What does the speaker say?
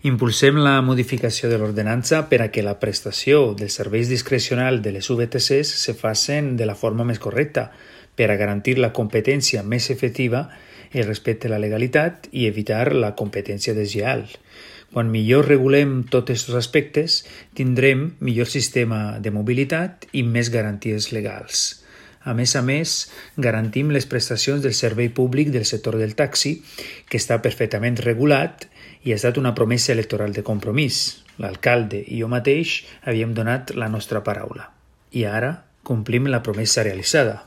Impulsem la modificació de l'ordenança per a que la prestació dels serveis discrecionals de les VTCs se facin de la forma més correcta, per a garantir la competència més efectiva, el respecte a la legalitat i evitar la competència deslleial. Quan millor regulem tots aquests aspectes, tindrem millor sistema de mobilitat i més garanties legals. A més, garantim les prestacions del servei públic del sector del taxi, que està perfectament regulat i ha estat una promesa electoral de compromís. L'alcalde i jo mateix havíem donat la nostra paraula. I ara complim la promesa realitzada.